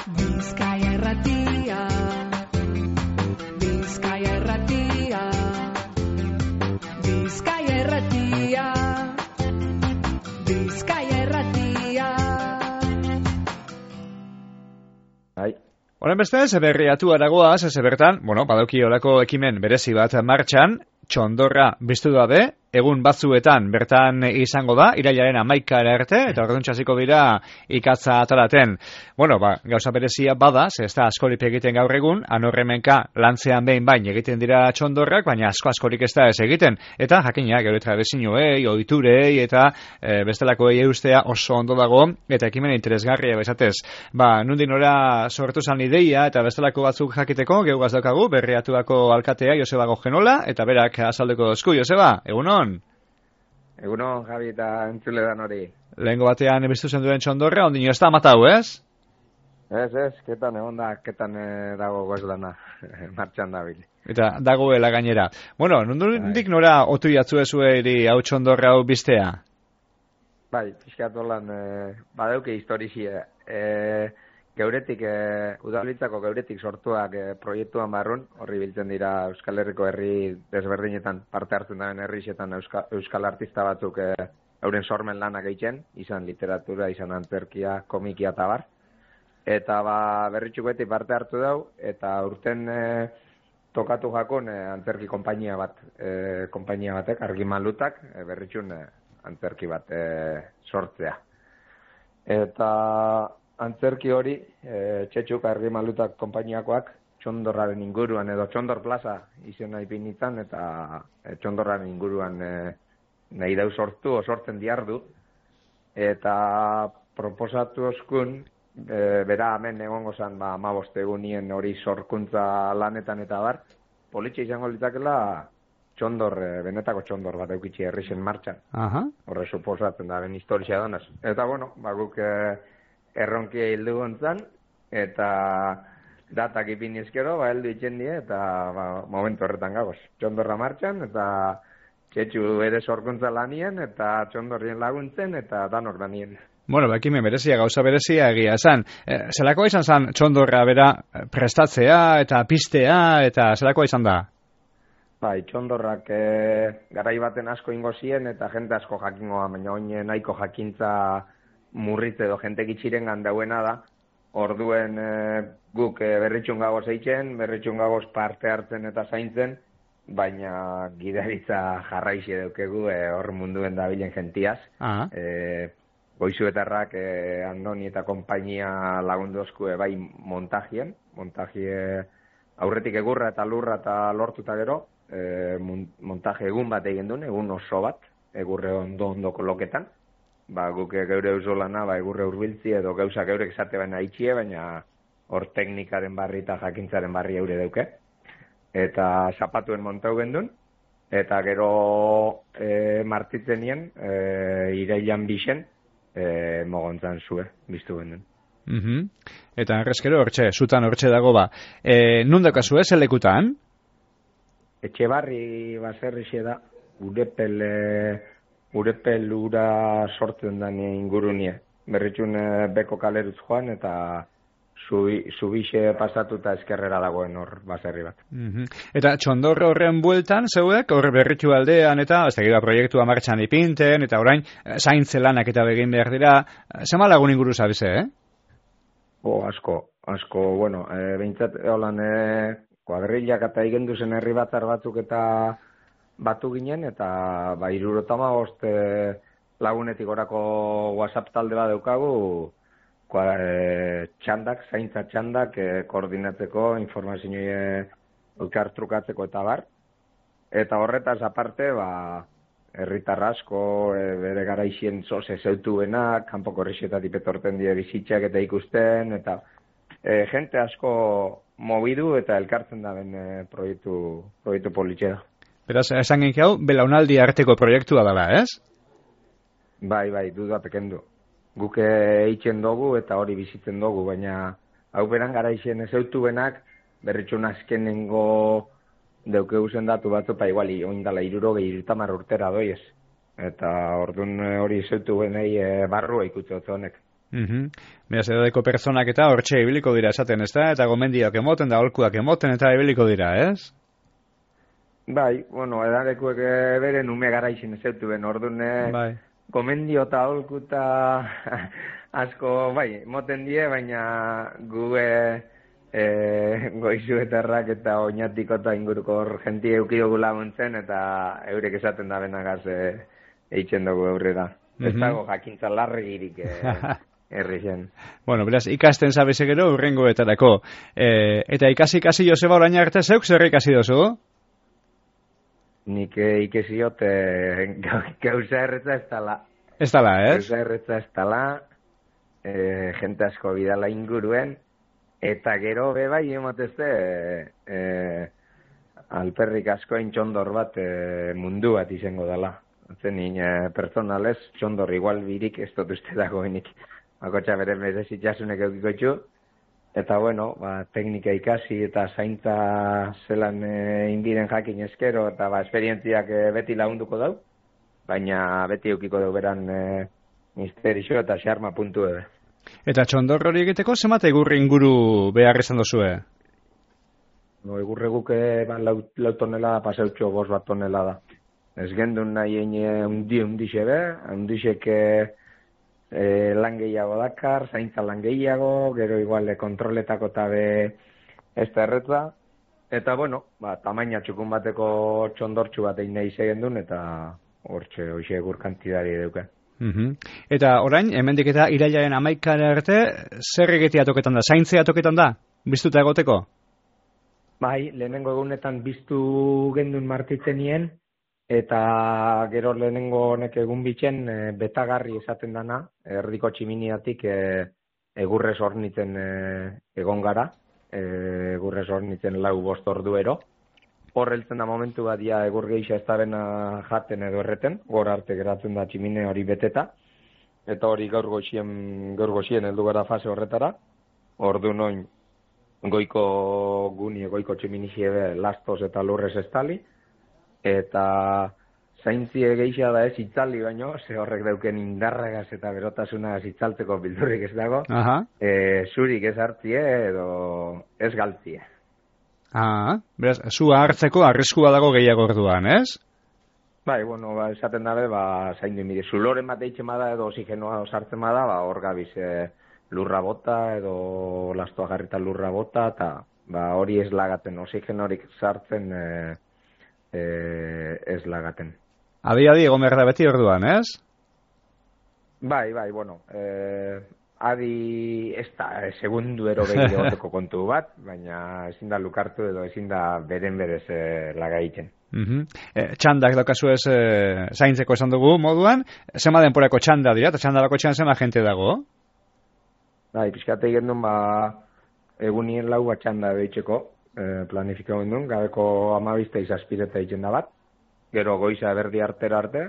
Bizkaia Irratia, Bizkaia Irratia, Bizkaia Irratia, Bizkaia Irratia. Horen beste, zeberriatu aragoaz, bertan, badauki olako ekimen berezi bat martxan, txondorra biztu dabe, egun batzuetan bertan izango da, irailaren 11 arte, eta orduntxe hasiko dira ikatza atalaten. Gauza berezia bada, ez da askorik egiten gaur egun, anorremenka lantzean behin bain egiten dira txondorrak, baina askorik ez da ez egiten. Eta jakina, gero tradizioei, ohiturei eta bestelakoei eustea oso ondo dago, eta ekimen interesgarria bezatez. Nundin ora sortu zan ideia, eta bestelako batzuk jakiteko, geugaz daukagu, berriatuako alkatea Joseba Gogenola, eta berak azaldeko dozku. Joseba, egunon? Egunon, Javi, eta entzule dan hori. Lehengo batean biztu zen duen txondorra, ondino ez da matau, ez? Ez, ketan egon da, ketan dago gozdana, martxan dabil. Eta dagoela gainera. Nondik nora otu jatzu ezueri hau txondorra hau biztea? Bai, pixkatu lan, badauke historizie. Geuretik, udalbitzako geuretik sortuak proiektuan barrun, horri biltzen dira Euskal Herriko herri desberdinetan parte hartzen daren herrixetan Euskal artista batzuk euren sormen lanak egiten, izan literatura, izan antzerkia, komikia eta bar. Eta berritxuk beti parte hartu dau, eta urten tokatu jakon antzerki konpainia batek, argimalutak, berritxun antzerki bat sortzea. Eta antzerki hori, txetxuk argimalutak konpainiakoak, txondorraren inguruan, edo txondor plaza izena ipinitzen, eta txondorraren inguruan nahi dau sortzen diardu. Eta proposatu oskun, bera hemen egongo zen 15 egunien hori sorkuntza lanetan eta bar, politxe izango litzakela benetako txondor bat eukitxe herrixen martxan. Horre suposatzen da, ben historia donaz. Eta guk erronkia hildu gontzan, eta datak ipin ezkero, heldu itxen die, eta momentu horretan gagoz. Txondorra martxan, eta txetxu ere sorkuntza lanien, eta txondorrien laguntzen, eta danok lanien. Ekime berezia, gauza berezia egia esan. Zelakoa izan zen txondorra bera prestatzea, eta pistea, eta zelakoa izan da? Txondorrak garai baten asko ingo zien, eta jente asko jakingoa, baina oin nahiko jakintza murritze edo jente gitxiren gandauena da. Orduen guk berritxun gagoz eitzen, berritxun gagoz parte hartzen eta zaintzen, baina gidaritza jarraixe daukegu hor munduen dabilen gentiaz. Goizuetarrak Andoni eta konpainia lagundozku bai montajie aurretik egurra eta lurra eta lortuta gero, montaje egun bat egin duen, egun oso bat, egurre ondo koloketan. Guk geure eusolana, egurre urbiltzi edo gauza geurek esate baina itxie, baina hor teknikaren barri eta jakintzaren barri eure dauke. Eta zapatuen montau gendun, eta gero martitzen nien, irailan bixen, mogontzan zue, biztu gendun. Eta errezkero zutan hortxe dago nundakazu ez, elekutan? Etxebarri baserrixe da, Urepel ura sortzen da ingurunie. Berritxun beko kaleruz joan eta zubixe pasatuta eskerrera dagoen hor baserri bat. Eta txondorro horren bueltan, zeuek, hor berritu aldean eta proiektua martxan ipinten, eta orain zaintze lanak eta begin behar dira. Zema lagun inguru zabize, Asko, behintzat, kuadrillak eta igendu zen herri batzar batzuk eta batu ginen, eta 75 lagunetik orako WhatsApp talde bat daukagu, zaintza txandak koordinatzeko, informazioa elkartrukatzeko eta bar. Eta horretaz aparte, herritar asko, bere garaixien zoze zeutuenak, kanpoko herrixetatik etorten die bizitzak eta ikusten, eta jente asko mobidu eta elkartzen da ben proiektu politxera. Beraz, esan genki hau, belaunaldi arteko proiektua dela, ez? Bai, duda pekendu. Guk eitzen dugu eta hori bizitzen dugu, baina hau beran garaixen ezeutu benak, berritxun azkenengo deukegu zendatu batzu, iguali, oindala 70 urtera doiez. Eta orduan hori ezeutu benei barrua ikutze honek. Beraz, edadeko pertsonak eta hortxe ibiliko dira esaten, ezta? Eta gomendioak emoten da, holkuak emoten eta ibiliko dira, ez? Bai, bueno, edadekuek beren ume garaixin ez zeutu ben, orduan Bai. gomendio eta holku eta asko, bai, moten die, baina gu goizuetarrak eta oinatiko eta inguruko hor jenti eukidugu laguntzen eta eurek esaten da benagaz eitzen dugu aurrera. Ez dago jakintza larregirik herri zen. Bueno, beraz, ikasten zabeze gero urrengoetarako. Eta ikasi Joseba orain arte zeuk zer ikasi dozu? Nik ikesiot gauza erretza ez dala. Ez dala, ez? Gauza erretza ez dala, jente asko bidala inguruen, eta gero bebai emotezte alperrik asko txondor bat mundu bat izango dela. Zenin personalez, txondor igual birik ez dut uste dagoenik. Bakotxa bere merezitasunek eukiko txu. Eta bueno, teknika ikasi eta zaintza zelan indiren jakin eskero eta esperientziak beti lagunduko dau. Baina beti eukiko dau beran misterixo eta xarma puntu ebe. Eta txondor hori egiteko zenbat egurri inguru behar izan dozue? No, egurre guke lau tonelada paseutxo 5 tonelada. Ez gendun nahi undixebe, undixek lan gehiago dakar, zaintza lan gehiago, gero igual kontroletako tabe ez da erretza. Eta bueno, tamaina txukun bateko txondortxu bat egin nahi gendun eta hortxe hoxe egur kantidari eduke. Eta orain, hemendik eta irailaren 11 arte, zer egitea toketan da? Zaintzea toketan da? Biztuta egoteko? Bai, lehenengo egunetan biztu gendun martitzen nien, eta gero lehenengo honek egun bitzen betagarri esaten dana, erdiko tximiniatik egurrez hornitzen egon gara, egurrez hornitzen 4-5 orduero. Hor heltzen da momentu bat ja egur geixa ez da bena jaten edo erreten, gora arte geratzen da tximine hori beteta, eta hori gaur goxien heldu gara fase horretara, ordu noin goiko guni, goiko tximinixie lastos eta lurrez estali, eta zaintzie geixa da ez itzali baino, ze horrek dauken indarragaz eta berotasuna itzaltzeko bildurrik ez dago, zurik ez hartzie edo ez galtzie. Beraz, zua hartzeko arriskua dago gehiago orduan, ez? Bai, bueno, esaten dabe, zaindu mire, zuloren bat eitzen bada edo oxigenoa sartzen bada, hor gabiz lurra bota edo lastoa garrita lurra bota, eta hori ez lagaten, oxigenorik sartzen ez lagaten. Adi egon behar da beti orduan, ez? Bai, bueno, adi ez da segunduero behi egoteko kontu bat, baina ezin da lukartu edo ezin da beren berez lagaiten. Txandak daukazu ez zaintzeko esan dugu moduan, zema denporako txanda dira, eta txandalako txan zema jente dago? Bai, pixkate gendun egunien 4 txanda behitzeko planifikau gendun, gabeko 12 izazpireta egiten da bat, gero goiza berdi artera arte,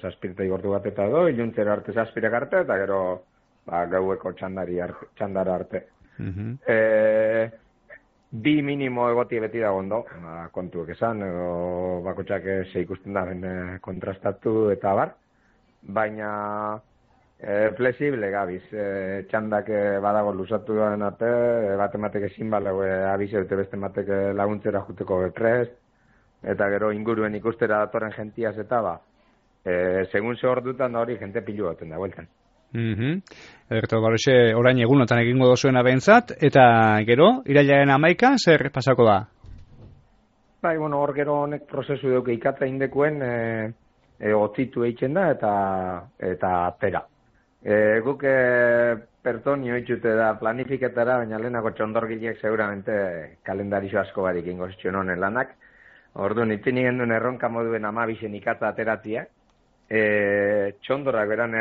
zazpireta igortu bat eta edo, iluntzera arte zazpirek arte, eta gero gaueko txandara arte. Bi minimo egoti beti da gondo, kontuek esan, edo bakotxak ze ikusten da kontrastatu eta bar, baina flexible gabiz, txandak badago lusatu duen arte, bat ematek ezin balego abize dute beste ematek laguntzera juteko beprest, eta gero inguruen ikustera datoren gentiaz eta segun ze hor dutan hori jente pilu baten da, bueltan. Ederto, baroxe, orain egunotan egingo dozuena behintzat, eta gero, irailaren 11 zer pasako da? Bai, bueno, hor gero honek prozesu duke ikatza indekuen otzitu eitzen da eta atera. Guk pertonio itxute da planifiketara, baina lehenako txondorgileek seguramente kalendarizio asko barik ingo zituen honen lanak. Orduan, itzini genduen erronka moduen 12 ikatza ateratzia. Txondorrak beran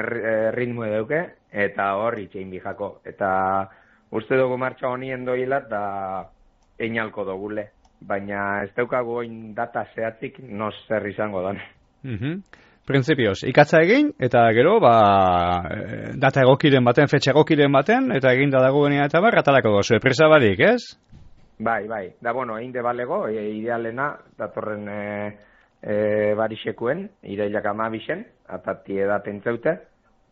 ritmo eduke, eta hor itxein bijako. Eta uste dugu martxa honien doila eta einalko dugule. Baina ez daukagu oin data zehatzik nos zer izango dan. Printzipioz, ikatza egin, eta gero, data egokiren baten, fetxe egokiren baten, eta eginda dagoenea eta atalako gozu, presa barik, ez? Bai, da bueno, egin de balego, idealena, datorren barixekuen, irailak 12, atati edaten zeute,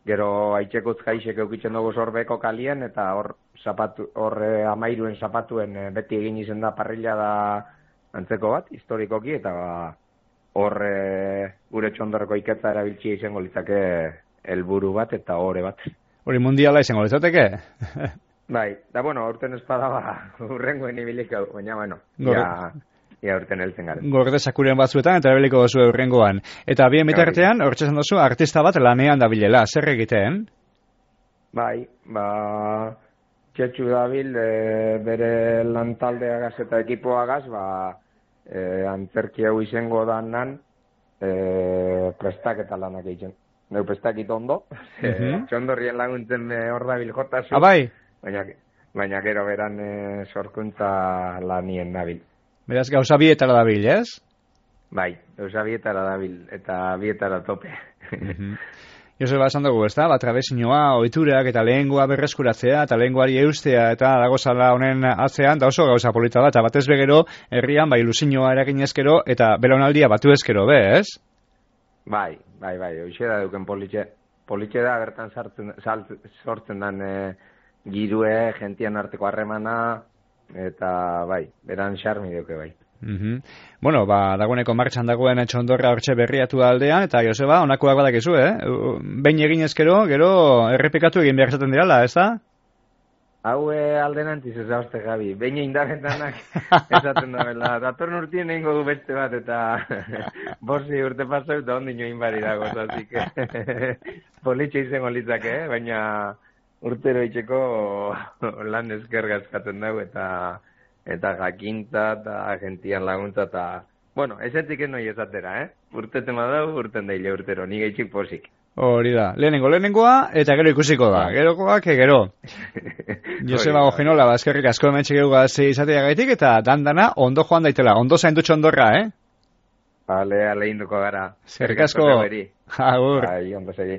Gero aitzekuz jaixek eukitzen dugu sorbeko kalien, eta hor amairuen zapatuen beti egin izen da parrilla da antzeko bat, historikoki, eta hor gure txondorreko iketza erabiltzia izango litzake helburu bat eta ore bat. Hori mundiala izango litzateke? Bai, da bueno, urten espada urrengoen ibiliko, baina bueno, ia urten heltzen garen. Gorde sakuren batzuetan eta erabiliko duzu urrengoan. Eta bien bitartean, hortxe esan duzu, artista bat lanean dabilela, zer egiten? Bai, txetxu dabil bere lantaldeagaz eta ekipoagaz, antzerki hau izango danan prestaketa lanak egiten. Neu prestakit ondo, txondorrien laguntzen hor dabil jotazu. Bai? Baina gero beran sorkuntza lanien dabil. Beraz, gauza bietara dabil, ez? Bai, gauza bietara dabil, eta bietara tope. Joseba esan dugu, ez da? Trabezinoa, ohiturak eta lehengoa berreskuratzea, eta lehengoari eustea, eta dagozala honen atzean, da oso gauza polita da, eta batez begero, herrian, ilusinoa eragin ezkero, eta belaunaldia batu ezkero, ez? Bai, hoxe da duken politxe. Politxe da, bertan sortzen dan girue, gentian arteko harremana, eta bai, beran xarmi duke bai. Bueno, dagoeneko martxan dagoen txondorra hortxe berriatu aldean, eta Joseba, honakoak badakizu, behin egin ezkero, gero errepikatu egin behar zaten dirala, ez da? Hau aldenantiz ez dauzte, Gabi. Behin indarretanak esaten da bela. Datorn urtien egingo du beste bat, eta borsi urte pasau eta ondin join bari dago. Zazik, politxe izango litzake, baina urtero itxeko lan eskerga eskatzen dugu, eta jakintza, eta gentian laguntza, eta... Bueno, esetik ez noi esatera, Urteten badau, urten daile urtero, ni gaitxik posik. Hori da, lehenengoa, eta gero ikusiko da. Gerokoak, gero. Joseba Gojinola, eskerrik asko hementxe geugaz izatea gaitik, eta dandana ondo joan daitela, ondo zaindu txondorra, Bale, induko gara. Eskerrik asko. Agur. Bai, ondo segi.